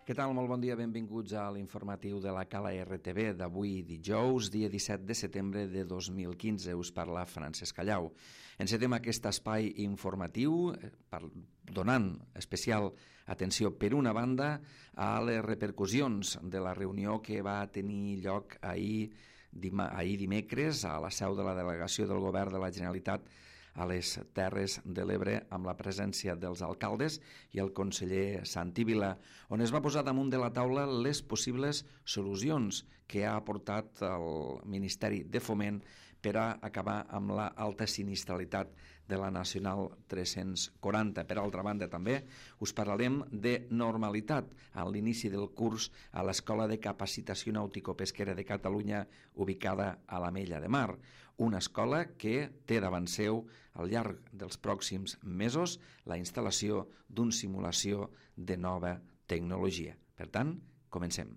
Què tal? Molt bon dia, benvinguts a l'informatiu de la Cala RTV d'avui dijous, dia 17 de setembre de 2015. Us parla Francesc Callau. Encetem aquest espai informatiu donant especial atenció, per una banda, a les repercussions de la reunió que va tenir lloc ahir dimecres a la seu de la delegació del Govern de la Generalitat a les Terres de l'Ebre, amb la presència dels alcaldes i el conseller Santi Vila, on es va posar damunt de la taula les possibles solucions que ha aportat el Ministeri de Foment per a acabar amb l'alta sinistralitat de la Nacional 340. Per altra banda, també us parlarem de normalitat a l'inici del curs a l'Escola de Capacitació Nàutico-Pesquera de Catalunya, ubicada a l'Ametlla de Mar, una escola que té davant seu, al llarg dels pròxims mesos, la instal·lació d'una simulació de nova tecnologia. Per tant, comencem.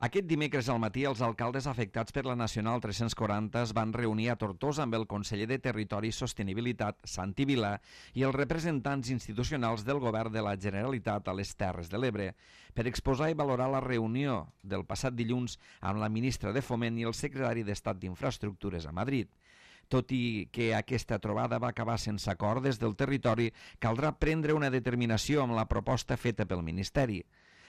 Aquest dimecres al matí, els alcaldes afectats per la Nacional 340 es van reunir a Tortosa amb el conseller de Territori i Sostenibilitat, Santi Vila, i els representants institucionals del Govern de la Generalitat a les Terres de l'Ebre per exposar i valorar la reunió del passat dilluns amb la ministra de Foment i el secretari d'Estat d'Infraestructures a Madrid. Tot i que aquesta trobada va acabar sense acord des del territori, caldrà prendre una determinació amb la proposta feta pel Ministeri.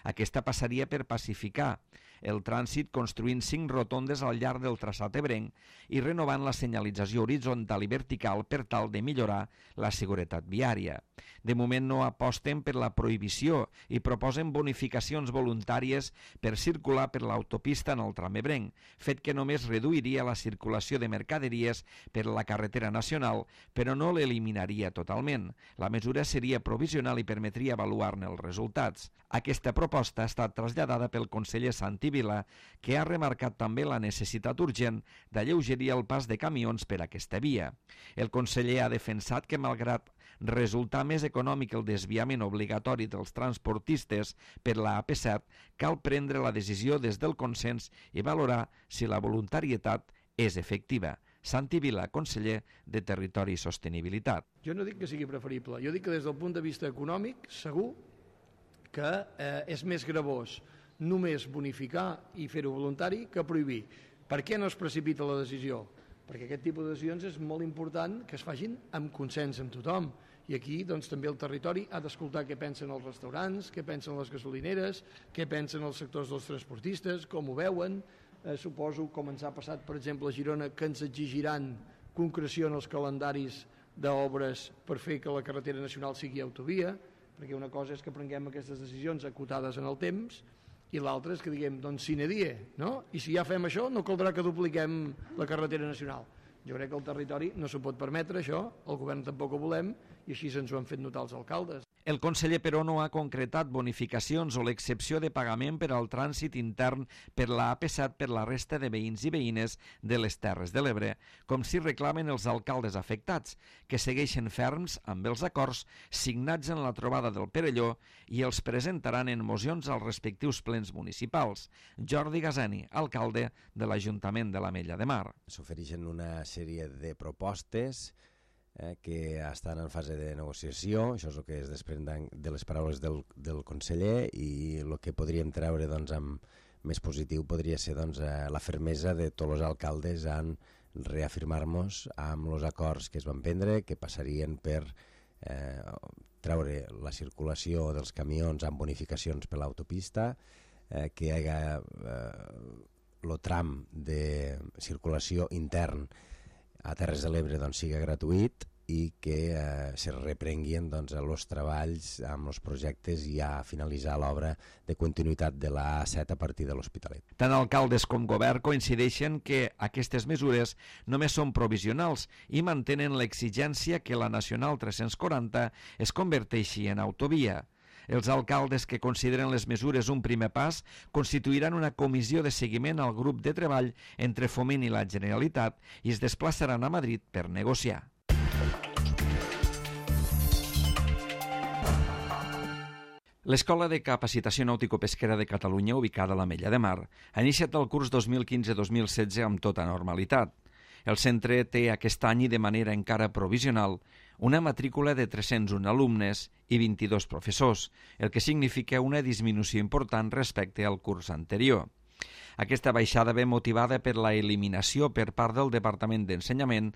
Aquesta passaria per pacificar el trànsit construint 5 rotondes al llarg del traçat ebrenc i renovant la senyalització horitzontal i vertical per tal de millorar la seguretat viària. De moment no aposten per la prohibició i proposen bonificacions voluntàries per circular per l'autopista en el tram ebrenc, fet que només reduiria la circulació de mercaderies per la carretera nacional, però no l'eliminaria totalment. La mesura seria provisional i permetria avaluar-ne els resultats. Aquesta proposta ha estat traslladada pel conseller Santi Vila, que ha remarcat també la necessitat urgent d'alleugerir el pas de camions per aquesta via. El conseller ha defensat que, malgrat resultar més econòmic el desviament obligatori dels transportistes per la AP7, cal prendre la decisió des del consens i valorar si la voluntarietat és efectiva. Santi Vila, conseller de Territori i Sostenibilitat. Jo no dic que sigui preferible, jo dic que des del punt de vista econòmic, segur que és més gravós només bonificar i fer-ho voluntari que prohibir. Per què no es precipita la decisió? Perquè aquest tipus de decisions és molt important que es facin amb consens amb tothom. I aquí doncs, també el territori ha d'escoltar què pensen els restaurants, què pensen les gasolineres, què pensen els sectors dels transportistes, com ho veuen. Suposo, com ens ha passat, per exemple, a Girona, que ens exigiran concreció en els calendaris d'obres per fer que la carretera nacional sigui autovia, perquè una cosa és que prenguem aquestes decisions acotades en el temps i l'altra és que diguem, doncs sine die, no? I si ja fem això, no caldrà que dupliquem la carretera nacional. Jo crec que el territori no s'ho pot permetre, això, el govern tampoc ho volem, i així ens ho han fet notar els alcaldes. El conseller, però, no ha concretat bonificacions o l'excepció de pagament per al trànsit intern per la AP7 per la resta de veïns i veïnes de les Terres de l'Ebre, com si reclamen els alcaldes afectats, que segueixen ferms amb els acords signats en la trobada del Perelló i els presentaran en mocions als respectius plens municipals. Jordi Gazeni, alcalde de l'Ajuntament de l'Ametlla de Mar. S'ofereixen una sèrie de propostes que estan en fase de negociació, això és el que es desprèn de les paraules del conseller, i el que podríem treure amb més positiu podria ser la fermesa de tots els alcaldes en reafirmar-nos amb els acords que es van prendre, que passarien per treure la circulació dels camions amb bonificacions per l'autopista, que hi hagués el tram de circulació intern a Terres de l'Ebre sigui gratuït i que se reprenguin els treballs amb els projectes i a finalitzar l'obra de continuïtat de la A7 a partir de l'Hospitalet. Tant alcaldes com govern coincideixen que aquestes mesures només són provisionals i mantenen l'exigència que la Nacional 340 es converteixi en autovia. Els alcaldes que consideren les mesures un primer pas constituiran una comissió de seguiment al grup de treball entre Foment i la Generalitat i es desplaçaran a Madrid per negociar. L'Escola de Capacitació Nàutico-Pesquera de Catalunya, ubicada a l'Ametlla de Mar, ha iniciat el curs 2015-2016 amb tota normalitat. El centre té aquest any i de manera encara provisional una matrícula de 301 alumnes i 22 professors, el que significa una disminució important respecte al curs anterior. Aquesta baixada ve motivada per la eliminació per part del Departament d'Ensenyament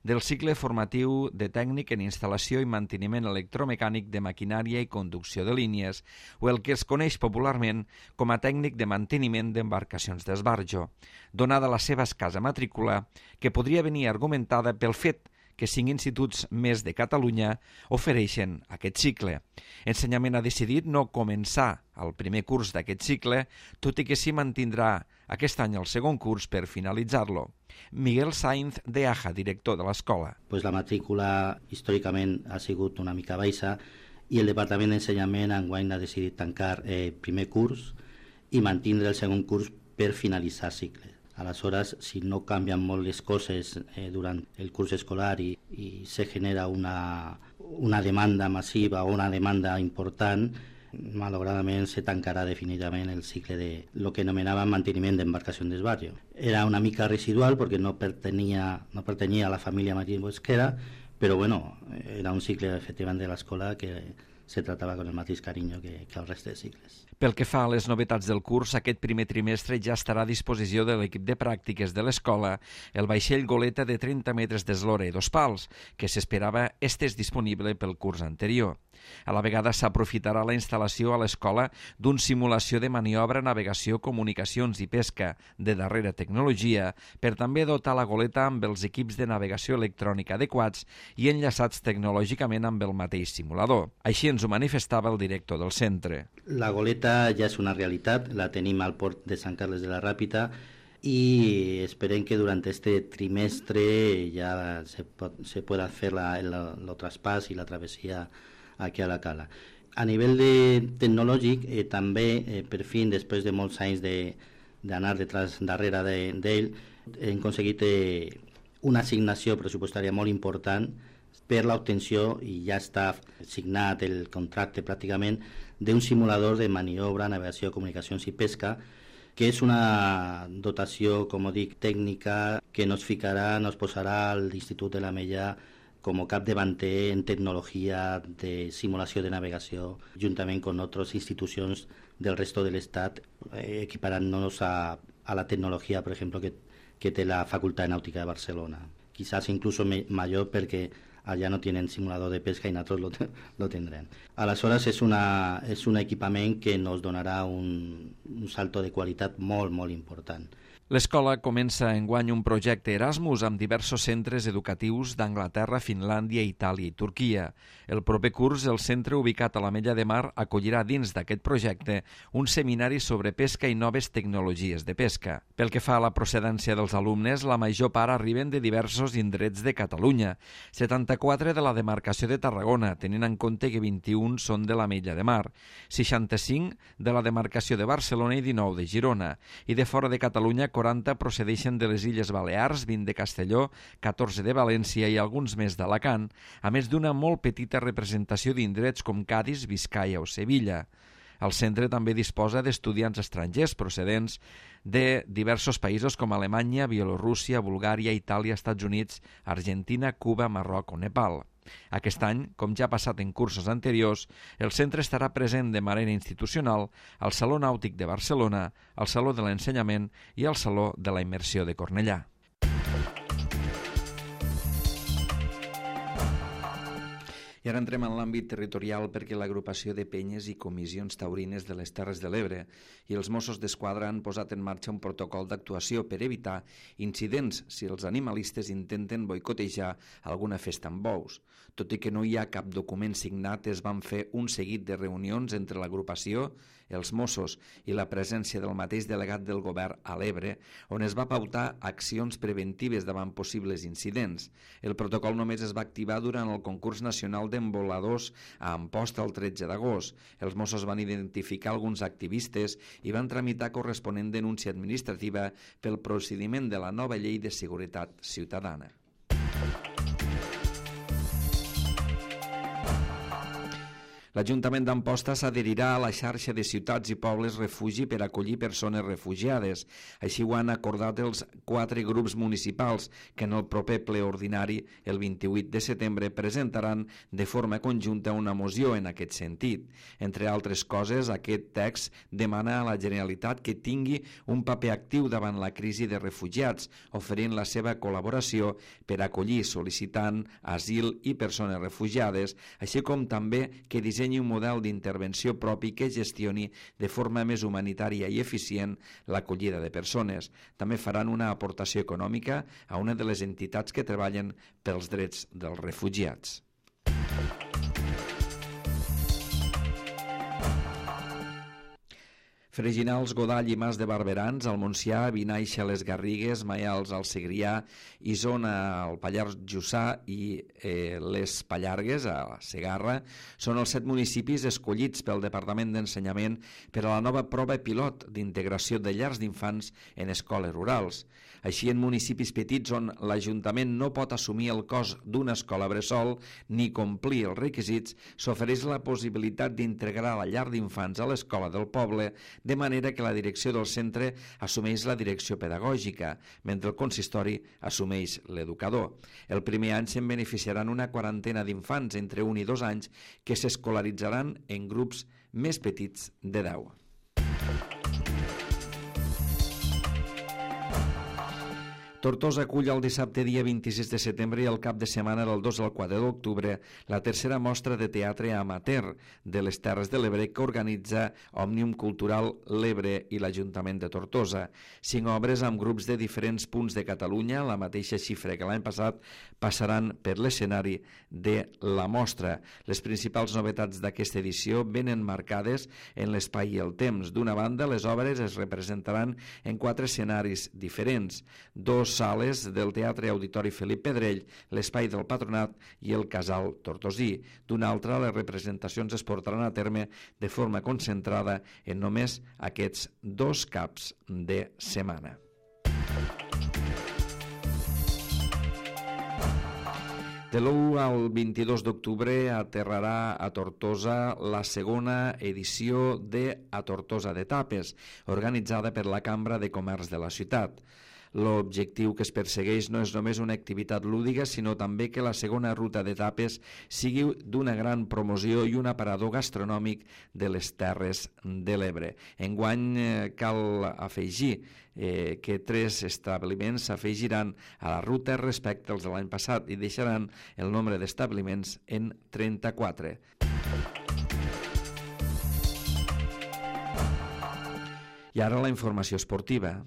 del cicle formatiu de tècnic en instal·lació i manteniment electromecànic de maquinària i conducció de línies, o el que es coneix popularment com a tècnic de manteniment d'embarcacions d'esbarjo, donada la seva escassa matrícula, que podria venir argumentada pel fet que 5 instituts més de Catalunya ofereixen aquest cicle. Ensenyament ha decidit no començar el primer curs d'aquest cicle, tot i que s'hi mantindrà aquest any el segon curs per finalitzar-lo. Miguel Sainz de Aja, director de l'escola. Pues la matrícula històricament ha sigut una mica baixa i el Departament d'Ensenyament enguany ha decidit tancar el primer curs i mantindre el segon curs per finalitzar cicle. Aleshores, si no canvien molt les coses durant el curs escolar i se genera una demanda massiva o una demanda important, malauradament se tancarà definitivament el cicle de lo que anomenàvem manteniment d'embarcació d'esbarjo. Era una mica residual perquè no pertanyia a la família marítima pesquera, però bueno, era un cicle efectivament de l'escola que se tractava con el mateix carinyo que el reste de cicles. Pel que fa a les novetats del curs, aquest primer trimestre ja estarà a disposició de l'equip de pràctiques de l'escola el vaixell goleta de 30 metres d'eslora i 2 pals, que s'esperava estés disponible pel curs anterior. A la vegada s'aprofitarà la instal·lació a l'escola d'un simulació de maniobra, navegació, comunicacions i pesca de darrera tecnologia per també dotar la goleta amb els equips de navegació electrònica adequats i enllaçats tecnològicament amb el mateix simulador. Així ens ho manifestava el director del centre. La goleta ja és una realitat, la tenim al port de Sant Carles de la Ràpita y esperem que durante este trimestre ya se pueda hacer el traspàs i la travessia aquí a la cala. A nivell tecnològic, també, per fi, després de molts anys d'anar darrere d'ell, hem aconseguit una assignació pressupostària molt important per l'obtenció, i ja està signat el contracte pràcticament, d'un simulador de maniobra, navegació, comunicacions i pesca, que és una dotació, com dic, tècnica que nos posarà a l'Institut de la Mella com a capdavanter en tecnologia de simulació de navegació, juntament amb altres institucions del resto de l'Estat, equiparant-nos a la tecnologia, per exemple, que té la Facultat de Nàutica de Barcelona. Quizás incluso mayor perquè allà no tenen simulador de pesca i nosaltres lo tindrem. Aleshores, és un equipament que nos donarà un salto de qualitat molt, molt important. L'escola comença enguany un projecte Erasmus amb diversos centres educatius d'Anglaterra, Finlàndia, Itàlia i Turquia. El proper curs, el centre ubicat a l'Ametlla de Mar acollirà dins d'aquest projecte un seminari sobre pesca i noves tecnologies de pesca. Pel que fa a la procedència dels alumnes, la major part arriben de diversos indrets de Catalunya, 74 de la demarcació de Tarragona, tenint en compte que 21 són de l'Ametlla de Mar, 65 de la demarcació de Barcelona i 19 de Girona, i de fora de Catalunya 40 procedeixen de les Illes Balears, 20 de Castelló, 14 de València i alguns més d'Alacant, a més d'una molt petita representació d'indrets com Cadis, Biscaia o Sevilla. El centre també disposa d'estudiants estrangers procedents de diversos països com Alemanya, Bielorússia, Bulgària, Itàlia, Estats Units, Argentina, Cuba, Marroc o Nepal. Aquest any, com ja ha passat en cursos anteriors, el centre estarà present de manera institucional al Saló Nàutic de Barcelona, al Saló de l'Ensenyament i al Saló de la Immersió de Cornellà. I ara entrem en l'àmbit territorial perquè l'agrupació de penyes i comissions taurines de les Terres de l'Ebre i els Mossos d'Esquadra han posat en marxa un protocol d'actuació per evitar incidents si els animalistes intenten boicotejar alguna festa amb bous. Tot i que no hi ha cap document signat, es van fer un seguit de reunions entre l'agrupació, els Mossos i la presència del mateix delegat del govern a l'Ebre, on es va pautar accions preventives davant possibles incidents. El protocol només es va activar durant el concurs nacional d'emboladors a Amposta el 13 d'agost. Els Mossos van identificar alguns activistes i van tramitar corresponent denúncia administrativa pel procediment de la nova llei de seguretat ciutadana. L'Ajuntament d'Amposta s'adherirà a la xarxa de ciutats i pobles refugi per acollir persones refugiades. Així ho han acordat els 4 grups municipals que en el proper ple ordinari, el 28 de setembre, presentaran de forma conjunta una moció en aquest sentit. Entre altres coses, aquest text demana a la Generalitat que tingui un paper actiu davant la crisi de refugiats, oferint la seva col·laboració per acollir sol·licitant asil i persones refugiades, així com també que dissenyi un model d'intervenció propi que gestioni de forma més humanitària i eficient l'acollida de persones. També faran una aportació econòmica a una de les entitats que treballen pels drets dels refugiats. Freginals, Godall i Mas de Barberans, al Montsià, Vinaixa, les Garrigues, Maials, al Segrià, Isona, al Pallars Jussà i les Pallargues, a la Segarra, són els 7 municipis escollits pel Departament d'Ensenyament per a la nova prova pilot d'integració de llars d'infants en escoles rurals. Així, en municipis petits on l'Ajuntament no pot assumir el cost d'una escola bressol ni complir els requisits, s'ofereix la possibilitat d'integrar la llar d'infants a l'escola del poble, de manera que la direcció del centre assumeix la direcció pedagògica, mentre el consistori assumeix l'educador. El primer any se'n beneficiaran una quarantena d'infants entre 1 i 2 anys que s'escolaritzaran en grups més petits de 10. Tortosa acull el dissabte dia 26 de setembre i el cap de setmana del 2 al 4 d'octubre la tercera mostra de teatre amateur de les Terres de l'Ebre que organitza Òmnium Cultural l'Ebre i l'Ajuntament de Tortosa. 5 obres amb grups de diferents punts de Catalunya, la mateixa xifra que l'any passat, passaran per l'escenari de la mostra. Les principals novetats d'aquesta edició venen marcades en l'espai i el temps. D'una banda, les obres es representaran en 4 escenaris diferents, 2 sales del Teatre Auditori Felip Pedrell, l'Espai del Patronat i el Casal Tortosí. D'una altra, les representacions es portaran a terme de forma concentrada en només aquests 2 caps de setmana. De l'1 al 22 d'octubre aterrarà a Tortosa la segona edició de A Tortosa de Tapes, organitzada per la Cambra de Comerç de la ciutat. L'objectiu que es persegueix no és només una activitat lúdica, sinó també que la segona ruta d'etapes sigui d'una gran promoció i un aparador gastronòmic de les Terres de l'Ebre. Enguany cal afegir que 3 establiments s'afegiran a la ruta respecte als de l'any passat i deixaran el nombre d'establiments en 34. I ara la informació esportiva.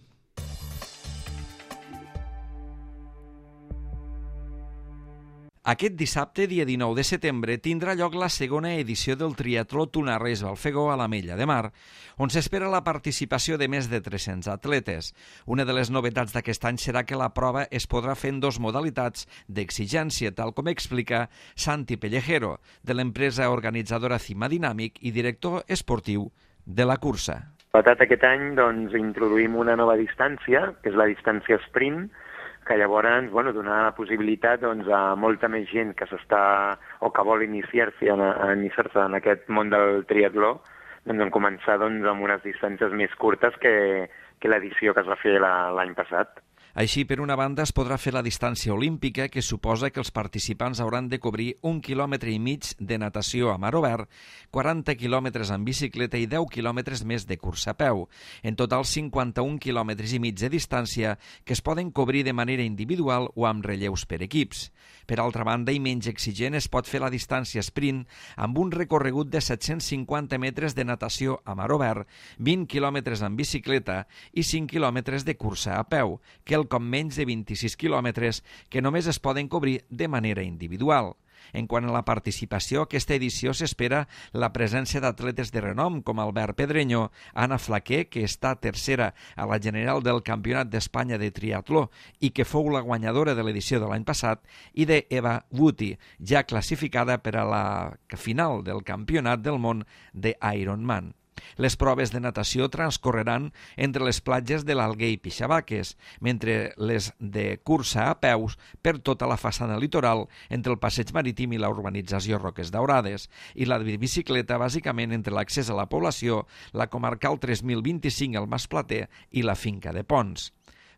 Aquest dissabte, dia 19 de setembre, tindrà lloc la segona edició del triatló Tunarres-Balfegó a l'Ametlla de Mar, on s'espera la participació de més de 300 atletes. Una de les novetats d'aquest any serà que la prova es podrà fer en 2 modalitats d'exigència, tal com explica Santi Pellejero, de l'empresa organitzadora Cima Dinàmic i director esportiu de la cursa. Aquest any introduïm una nova distància, que és la distància sprint, que llavors donarà la possibilitat a molta més gent que s'està o que vol iniciar-se en aquest món del triatló, començar amb unes distàncies més curtes que l'edició que es va fer l'any passat. Així, per una banda, es podrà fer la distància olímpica, que suposa que els participants hauran de cobrir 1,5 quilòmetres de natació a mar obert, 40 quilòmetres en bicicleta i 10 quilòmetres més de cursa a peu. En total, 51,5 quilòmetres de distància que es poden cobrir de manera individual o amb relleus per equips. Per altra banda, i menys exigent, es pot fer la distància sprint amb un recorregut de 750 metres de natació a mar obert, 20 quilòmetres en bicicleta i 5 quilòmetres de cursa a peu, com menys de 26 quilòmetres que només es poden cobrir de manera individual. En quant a la participació, aquesta edició s'espera la presència d'atletes de renom com Albert Pedreño, Anna Flaquer, que està tercera a la general del Campionat d'Espanya de triatló i que fou la guanyadora de l'edició de l'any passat, i d'Eva Wuti, ja classificada per a la final del Campionat del món d'Ironman. Les proves de natació transcorreran entre les platges de l'Alguer i Pixabaques, mentre les de cursa a peus per tota la façana litoral entre el passeig marítim i la urbanització Roques Daurades, i la de bicicleta bàsicament entre l'accés a la població, la comarcal 3025 al Mas Plater i la finca de Pons.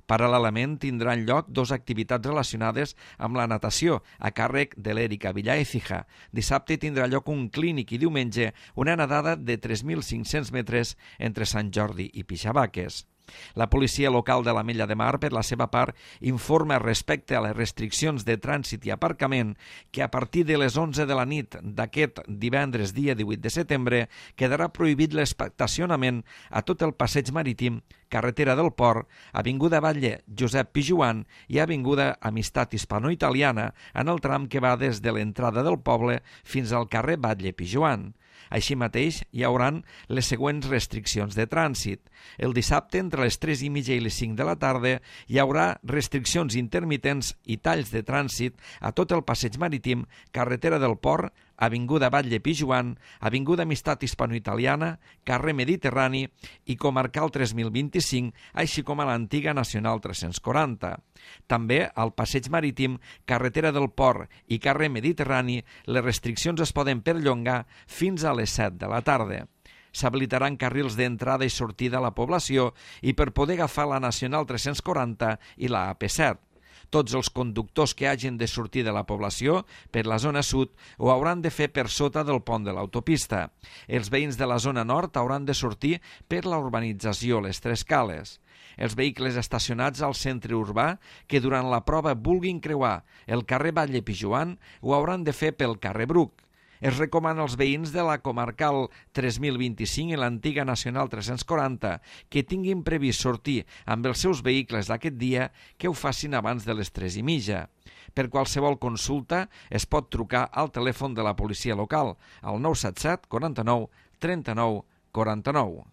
Paral·lelament tindran lloc 2 activitats relacionades amb la natació a càrrec de l'Èrica Villar Écija. Dissabte tindrà lloc un clínic i diumenge una nedada de 3.500 metres entre Sant Jordi i Pixabaques. La policia local de l'Ametlla de Mar, per la seva part, informa respecte a les restriccions de trànsit i aparcament que a partir de les 11 de la nit d'aquest divendres dia 18 de setembre quedarà prohibit l'estacionament a tot el passeig marítim, carretera del Port, avinguda Batlle Josep Pijuan i avinguda Amistat Hispano-Italiana en el tram que va des de l'entrada del poble fins al carrer Batlle Pijuan. Així mateix, hi hauran les següents restriccions de trànsit. El dissabte, entre les 3:30 i les 5 de la tarda, hi haurà restriccions intermitents i talls de trànsit a tot el passeig marítim, carretera del Port, avinguda Batlle Pijuan, avinguda Amistat Hispano-Italiana, carrer Mediterrani i comarcal 3025, així com a l'antiga Nacional 340. També al passeig marítim, carretera del Port i carrer Mediterrani, les restriccions es poden perllongar fins a les 7 de la tarda. S'habilitaran carrils d'entrada i sortida a la població i per poder agafar la Nacional 340 i la AP7. Tots els conductors que hagin de sortir de la població per la zona sud ho hauran de fer per sota del pont de l'autopista. Els veïns de la zona nord hauran de sortir per la urbanització Les Tres Cales. Els vehicles estacionats al centre urbà que durant la prova vulguin creuar el carrer Batlle Pijuan ho hauran de fer pel carrer Bruc. Es recomana als veïns de la comarcal 3025 i l'antiga Nacional 340 que tinguin previst sortir amb els seus vehicles d'aquest dia que ho facin abans de les 3:30. Per qualsevol consulta es pot trucar al telèfon de la policia local al 977 49 39 49.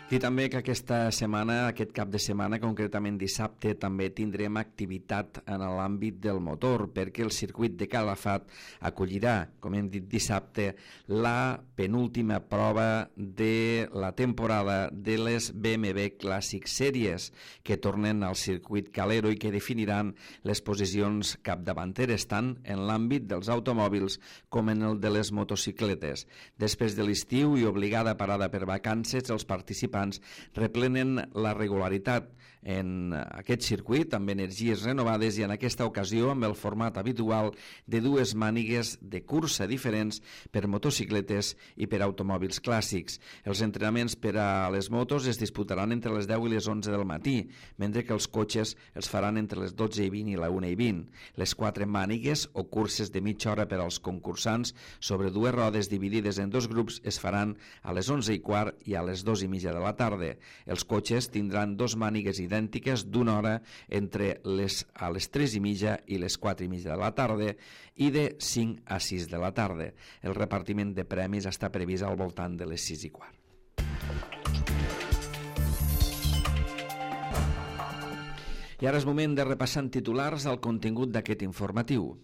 I també que aquesta setmana, aquest cap de setmana, concretament dissabte, també tindrem activitat en l'àmbit del motor, perquè el circuit de Calafat acollirà, com hem dit dissabte, la penúltima prova de la temporada de les BMW Classic Series, que tornen al circuit Calero i que definiran les posicions capdavanteres tant en l'àmbit dels automòbils com en el de les motocicletes. Després de l'estiu i obligada parada per vacances, els participants replenen la regularitat en aquest circuit amb energies renovades i en aquesta ocasió amb el format habitual de 2 mànigues de cursa diferents per motocicletes i per automòbils clàssics. Els entrenaments per a les motos es disputaran entre les 10 i les 11 del matí, mentre que els cotxes els faran entre les 12:20 i la 1:20. Les 4 mànigues o curses de mitja hora per als concursants sobre 2 rodes dividides en 2 grups es faran a les 11:15 i a les 2:30 de la tarda. Els cotxes tindran 2 mànigues idèntiques d'una hora entre a les 3:30 i les 4:30 de la tarda i de 5 a 6 de la tarda. El repartiment de premis està previst al voltant de les 6:15. I ara és moment de repassar en titulars el contingut d'aquest informatiu.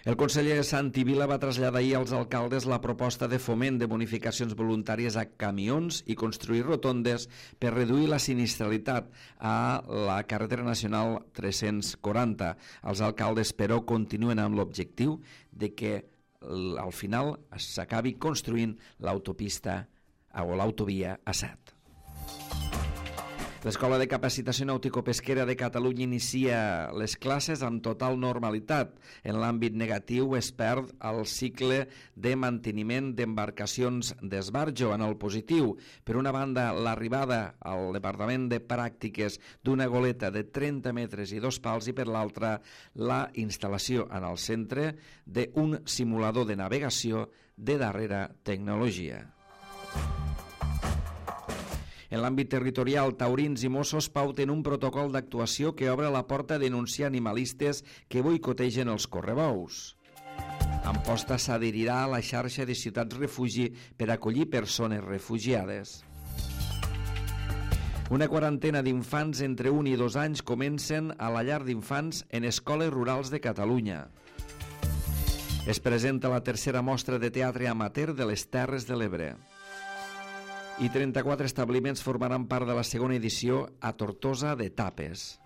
El conseller Santi Vila va traslladar ahir als alcaldes la proposta de foment de bonificacions voluntàries a camions i construir rotondes per reduir la sinistralitat a la carretera nacional 340. Els alcaldes, però, continuen amb l'objectiu de que al final s'acabi construint l'autopista o l'autovia A7. L'Escola de Capacitació Nàutico-Pesquera de Catalunya inicia les classes amb total normalitat. En l'àmbit negatiu es perd el cicle de manteniment d'embarcacions d'esbarjo. En el positiu, per una banda, l'arribada al Departament de Pràctiques d'una goleta de 30 metres i 2 pals i per l'altra, la instal·lació en el centre d'un simulador de navegació de darrera tecnologia. En l'àmbit territorial, taurins i Mossos pauten un protocol d'actuació que obre la porta a denunciar animalistes que boicotegen els correbous. Amposta s'adherirà a la xarxa de ciutats refugi per acollir persones refugiades. Una quarantena d'infants entre 1 i 2 anys comencen a la llar d'infants en escoles rurals de Catalunya. Es presenta la tercera mostra de teatre amateur de les Terres de l'Ebre. I 34 establiments formaran part de la segona edició a Tortosa de Tapes.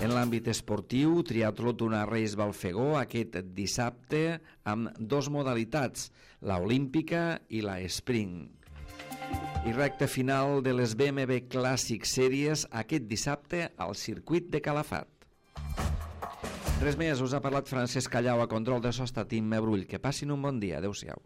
En l'àmbit esportiu, triatló d'una Reis Balfegó aquest dissabte amb 2 modalitats, la olímpica i la sprint. I recta final de les BMW Classic Series aquest dissabte al circuit de Calafat. Res més, us ha parlat Francesc Callau a control de so, està Tim Mebrull. Que passin un bon dia. Adéu-siau.